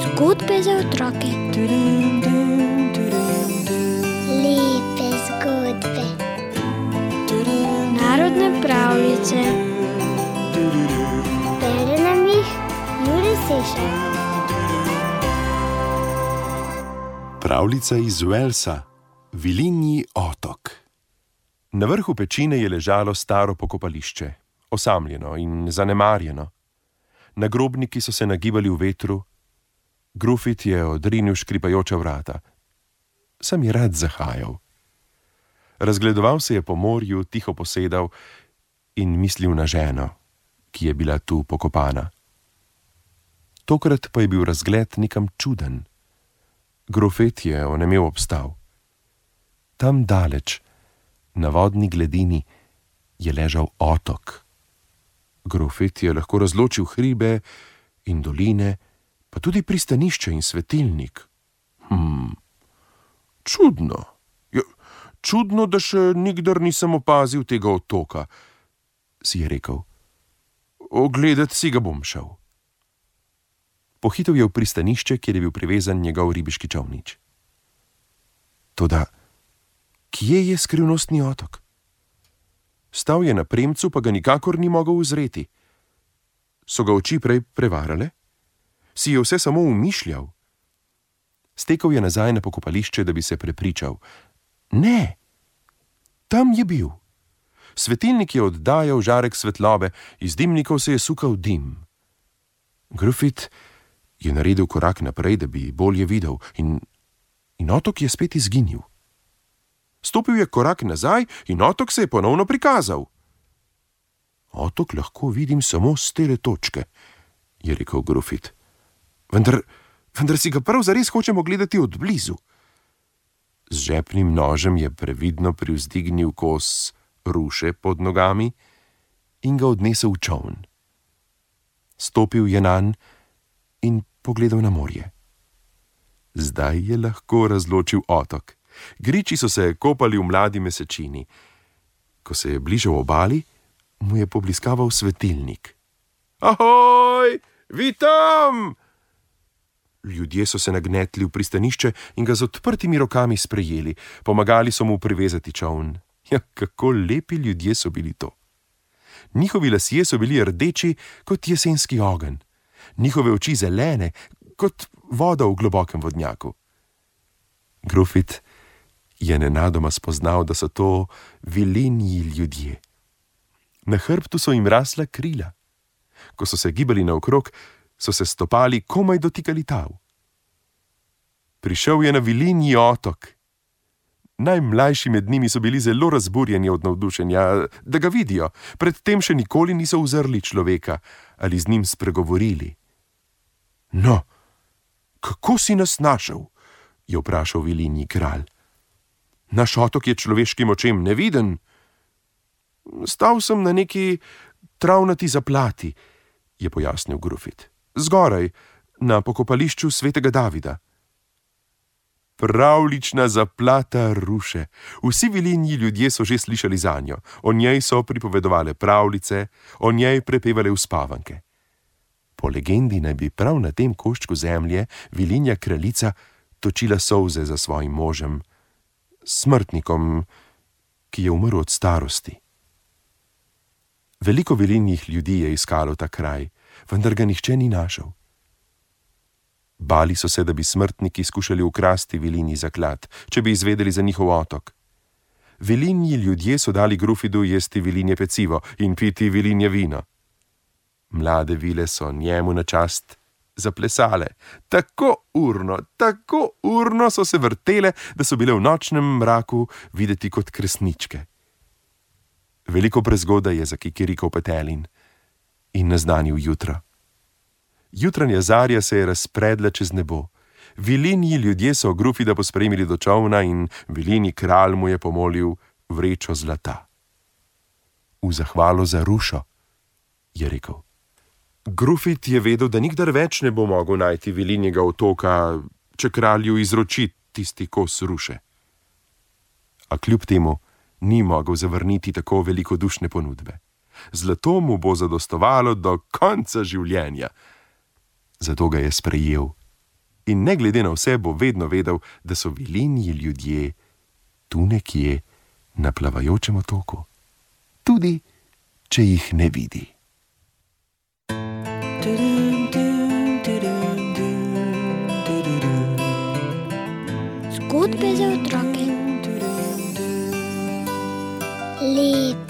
Zgodbe za otroke. Lepe zgodbe. Narodne pravljice. Bere nam jih Jure Sešar. Pravljica iz Walesa, Vilinji otok. Na vrhu pečine je ležalo staro pokopališče, osamljeno in zanemarjeno. Nagrobniki so se nagibali v vetru, Grufit je odrinil škripajoča vrata. Sem je rad zahajal. Razgledoval se je po morju, tiho posedal in mislil na ženo, ki je bila tu pokopana. Tokrat pa je bil razgled nekam čuden. Grufit je onemel obstal. Tam daleč, na vodni gladini, je ležal otok. Grufit je lahko razločil hribe in doline, pa tudi pristanišče in svetilnik. Čudno. Ja, čudno, da še nikdar nisem opazil tega otoka, si je rekel. Ogledat si ga bom šel. Pohitel je v pristanišče, kjer je bil privezan njegov ribiški čolnič. Toda, kje je skrivnostni otok? Stal je na premcu, pa ga nikakor ni mogel uzreti. So ga oči prej prevarale? Si je vse samo umišljal? Stekel je nazaj na pokopališče, da bi se prepričal. Ne, tam je bil. Svetilnik je oddajal žarek svetlobe, iz dimnikov se je sukal dim. Grufit je naredil korak naprej, da bi bolje videl, in otok je spet izginil. Stopil je korak nazaj in otok se je ponovno prikazal. Otok lahko vidim samo s tele točke, je rekel Grufit. Vendar si ga prav zares hočemo gledati od blizu. Z žepnim nožem je previdno privzdignil kos ruše pod nogami in ga odnesel v čoln. Stopil je nanj in pogledal na morje. Zdaj je lahko razločil otok. Griči so se kopali v mladi mesečini. Ko se je bližal obali, mu je pobliskaval svetilnik. Ahoj, vi tam! Ljudje so se nagnetli v pristanišče in ga z odprtimi rokami sprejeli. Pomagali so mu privezati čoln. Ja, kako lepi ljudje so bili to. Njihovi lasje so bili rdeči kot jesenski ogenj. Njihove oči zelene kot voda v globokem vodnjaku. Grufit je nenadoma spoznal, da so to vilinji ljudje. Na hrbtu so jim rasla krila. Ko so se gibali naokrog, so se stopali komaj dotikali tav. Prišel je na Vilinji otok. Najmlajši med njimi so bili zelo razburjeni od navdušenja, da ga vidijo. Predtem še nikoli niso uzrli človeka ali z njim spregovorili. No, kako si nas našel? Je vprašal Vilinji kralj. Naš otok je človeškim očem neviden. Stal sem na neki travnati zaplati, je pojasnil Grufit. Zgoraj, na pokopališču svetega Davida. Pravlična zaplata ruše. Vsi Vilinji ljudje so že slišali zanjo. O njej so pripovedovale pravljice, o njej prepevale uspavanke. Po legendi naj bi prav na tem koščku zemlje Vilinja kraljica točila solze za svojim možem, smrtnikom, ki je umrl od starosti. Veliko Vilinjih ljudi je iskalo ta kraj, vendar ga nihče ni našel. Bali so se, da bi smrtniki skušali ukrasti Vilinji zaklad, če bi izvedeli za njihov otok. Vilinji ljudje so dali Grufidu jesti Vilinje pecivo in piti Vilinje vino. Mlade vile so njemu na čast zaplesale. Tako urno so se vrtele, da so bile v nočnem mraku videti kot kresničke. Veliko prezgodaj je zakikirikal petelin in naznanil jutro. Jutranja zarja se je razpredla čez nebo. Vilinji ljudje so Grufida pospremili do čolna in Vilinji kralj mu je pomolil vrečo zlata. V zahvalo za rušo, je rekel. Grufit je vedel, da nikdar več ne bo mogel najti Vilinjega otoka, če kralju izroči tisti kos ruše. A kljub temu ni mogel zavrniti tako velikodušne ponudbe. Zlato mu bo zadostovalo do konca življenja. Zato ga je sprejel. In ne glede na vse bo vedno vedel, da so Vilinji ljudje tu nekje na plavajočem otoku. Tudi, če jih ne vidi. Zgodbe za otroke. Lepe